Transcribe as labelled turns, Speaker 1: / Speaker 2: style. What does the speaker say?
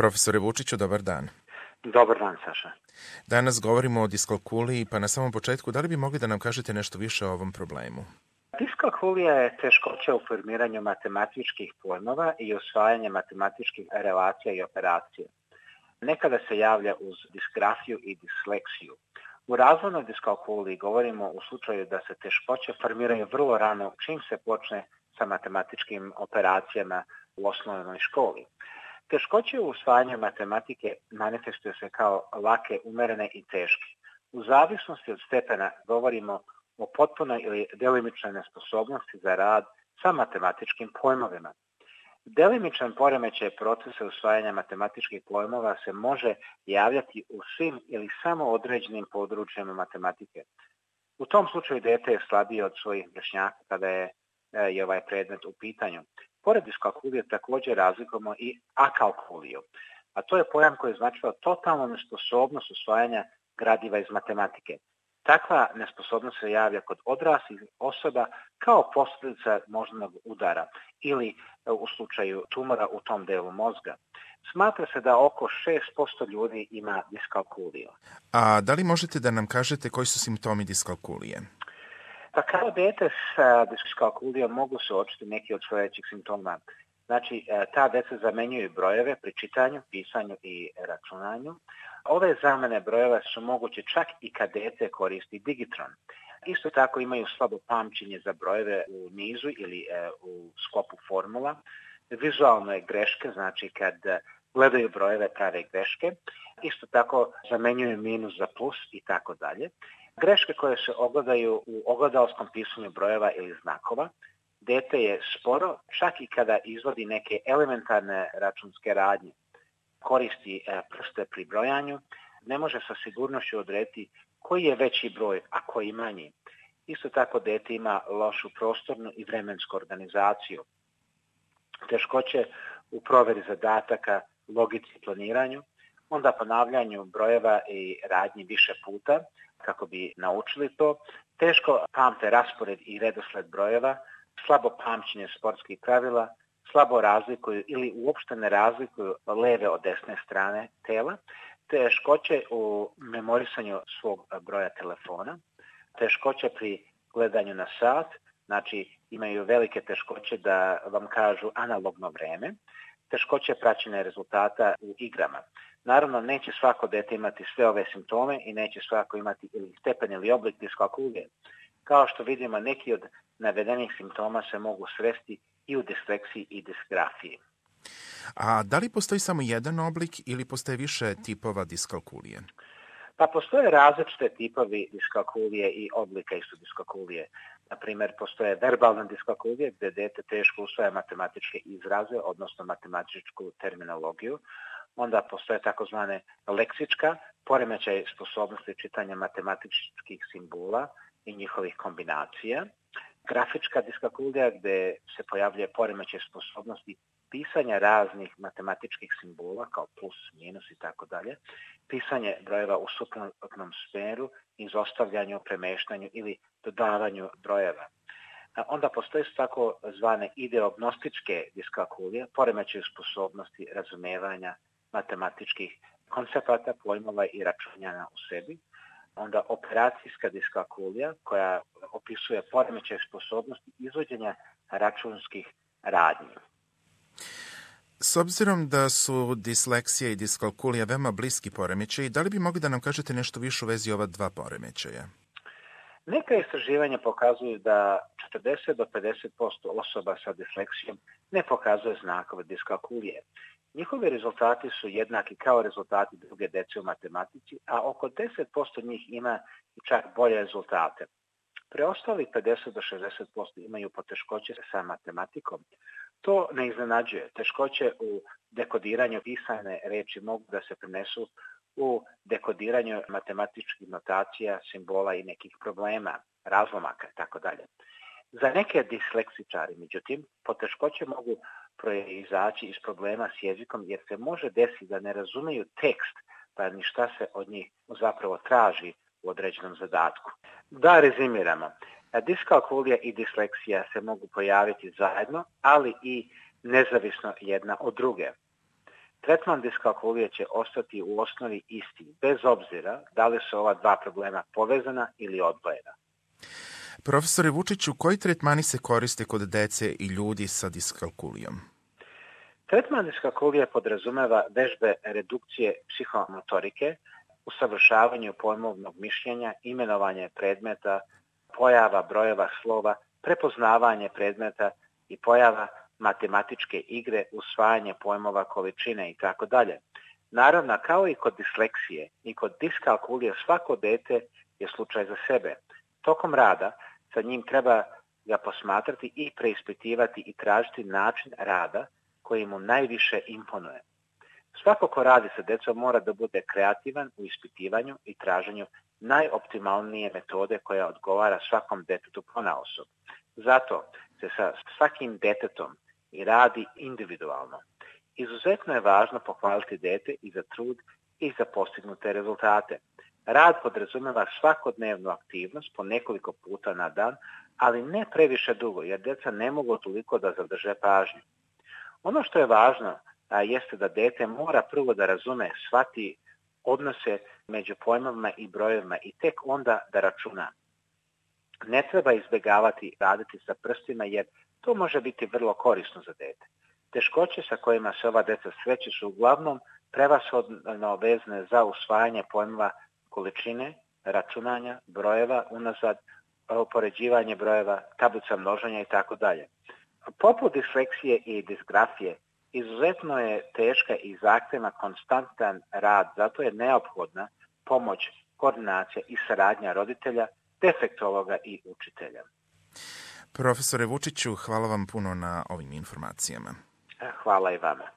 Speaker 1: Profesore Vučiću, dobar dan.
Speaker 2: Dobar dan, Saša.
Speaker 1: Danas govorimo o diskalkuliji, pa na samom početku, da li bi mogli da nam kažete nešto više o ovom problemu?
Speaker 2: Diskalkulija je teškoća u formiranju matematičkih pojmova i usvajanje matematičkih relacija i operacija. Nekada se javlja uz disgrafiju i disleksiju. U razvojnoj diskalkuliji govorimo u slučaju da se teškoće formiraju vrlo rano čim se počne sa matematičkim operacijama u osnovnoj školi. Teškoće u usvajanju matematike manifestuju se kao lake, umerene i teške. U zavisnosti od stepena govorimo o potpunoj ili delimičnoj nesposobnosti za rad sa matematičkim pojmovima. Delimičan poremećaj procesa usvajanja matematičkih pojmova se može javljati u svim ili samo određenim područjima matematike. U tom slučaju dete je slabije od svojih vršnjaka kada je ovaj predmet u pitanju. Pored diskalkulije također razlikujemo i akalkuliju, a to je pojam koji značava totalnu nesposobnost usvajanja gradiva iz matematike. Takva nesposobnost se javlja kod odraslih osoba kao posljedica moždanog udara ili u slučaju tumora u tom delu mozga. Smatra se da oko 6% ljudi ima diskalkuliju.
Speaker 1: A da li možete da nam kažete koji su simptomi diskalkulije?
Speaker 2: Pa kao dete sa diskalkulijom mogu se uočiti neki od sljedećih simptoma. Znači, ta deca zamenjuju brojeve pri čitanju, pisanju i računanju. Ove zamene brojeva su moguće čak i kad dete koristi digitron. Isto tako imaju slabo pamćenje za brojeve u nizu ili u sklopu formula. Vizualne greške, znači kad gledaju brojeve prave greške. Isto tako zamenjuju minus za plus i tako dalje. Greške koje se ogledaju u ogledalskom pisanju brojeva ili znakova. Dete je sporo čak i kada izvodi neke elementarne računske radnje. Koristi prste pri brojanju, ne može sa sigurnošću odrediti koji je veći broj, a koji manji. Isto tako dete ima lošu prostornu i vremensku organizaciju. Teškoće u proveri zadataka, logici i planiranju, onda ponavljanju brojeva i radnji više puta kako bi naučili to. Teško pamte raspored i redosled brojeva, slabo pamćenje sportskih pravila, slabo razlikuju ili uopšte ne razlikuju leve od desne strane tela, teškoće u memorisanju svog broja telefona, teškoće pri gledanju na sat, znači imaju velike teškoće da vam kažu analogno vreme, teškoće praćenja rezultata u igrama. Naravno, neće svako dete imati sve ove simptome i neće svako imati ili stepen ili oblik diskalkulije. Kao što vidimo, neki od navedenih simptoma se mogu sresti i u disleksiji i disgrafiji.
Speaker 1: A da li postoji samo jedan oblik ili postoje više tipova diskalkulije?
Speaker 2: Pa postoje različite tipovi diskalkulije i oblika isto diskalkulije. Na primjer, postoje verbalne diskalkulije gdje dete teško usvaja matematičke izraze, odnosno matematičku terminologiju. Onda postoje takozvane leksička, poremećaj sposobnosti čitanja matematičkih simbola i njihovih kombinacija. Grafička diskalkulija gdje se pojavljuje poremećaj sposobnosti pisanja raznih matematičkih simbola kao plus, minus i tako dalje. Pisanje brojeva u suprotnom smjeru, izostavljanju, premeštanju ili dodavanju brojeva. Onda postoje tako zvane ideognostičke diskalkulije, poremećaj sposobnosti razumijevanja matematičkih koncepata, pojmova i računanja u sebi. Onda operacijska diskalkulija koja opisuje poremećaj sposobnosti izvođenja računskih radnji.
Speaker 1: S obzirom da su disleksija i diskalkulija veoma bliski poremećaji, da li bi mogli da nam kažete nešto više u vezi ova dva poremećaja?
Speaker 2: Neka istraživanja pokazuju da 40 do 50% osoba sa disleksijom ne pokazuje znakove diskalkulije. Njihovi rezultati su jednaki kao rezultati druge dece u matematici, a oko 10% njih ima čak bolje rezultate. Preostali 50 do 60% imaju poteškoće sa matematikom. To ne iznenađuje. Teškoće u dekodiranju pisane reči mogu da se prenesu u dekodiranju matematičkih notacija, simbola i nekih problema, razlomaka itd. Za neke disleksičari, međutim, poteškoće mogu proizaći iz problema s jezikom jer se može desiti da ne razumiju tekst pa ni šta se od njih zapravo traži u određenom zadatku. Da rezimiramo, diskalkulija i disleksija se mogu pojaviti zajedno, ali i nezavisno jedna od druge. Tretman diskalkulije će ostati u osnovi isti, bez obzira da li su ova dva problema povezana ili odvojena.
Speaker 1: Profesore Vučiću, koji tretmani se koriste kod dece i ljudi sa diskalkulijom?
Speaker 2: Tretman diskalkulije podrazumeva vežbe redukcije psihomotorike, usavršavanju pojmovnog mišljenja, imenovanje predmeta, pojava brojeva slova, prepoznavanje predmeta i pojava matematičke igre, usvajanje pojmova količine itd. Naravno, kao i kod disleksije i kod diskalkulije, svako dete je slučaj za sebe. Tokom rada sa njim treba ga posmatrati i preispitivati i tražiti način rada koji mu najviše imponuje. Svako ko radi sa decom mora da bude kreativan u ispitivanju i traženju najoptimalnije metode koja odgovara svakom detetu ponaosob. Zato se sa svakim detetom i radi individualno. Izuzetno je važno pohvaliti dete i za trud i za postignute rezultate. Rad podrazumeva svakodnevnu aktivnost po nekoliko puta na dan, ali ne previše dugo, jer deca ne mogu toliko da zadrže pažnju. Ono što je važno jeste da dete mora prvo da razume, shvati odnose među pojmovima i brojevima i tek onda da računa. Ne treba izbjegavati raditi sa prstima jer to može biti vrlo korisno za dete. Teškoće sa kojima se ova deca sreću su uglavnom prevashodno vezane za usvajanje pojmova količine, računanja, brojeva, unazad, upoređivanje brojeva, tablica množenja itd. Poput disleksije i disgrafije, izuzetno je teška i zahtevna konstantan rad, zato je neophodna pomoć, koordinacija i saradnja roditelja, defektologa i učitelja.
Speaker 1: Profesore Vučiću, hvala vam puno na ovim informacijama.
Speaker 2: Hvala i vama.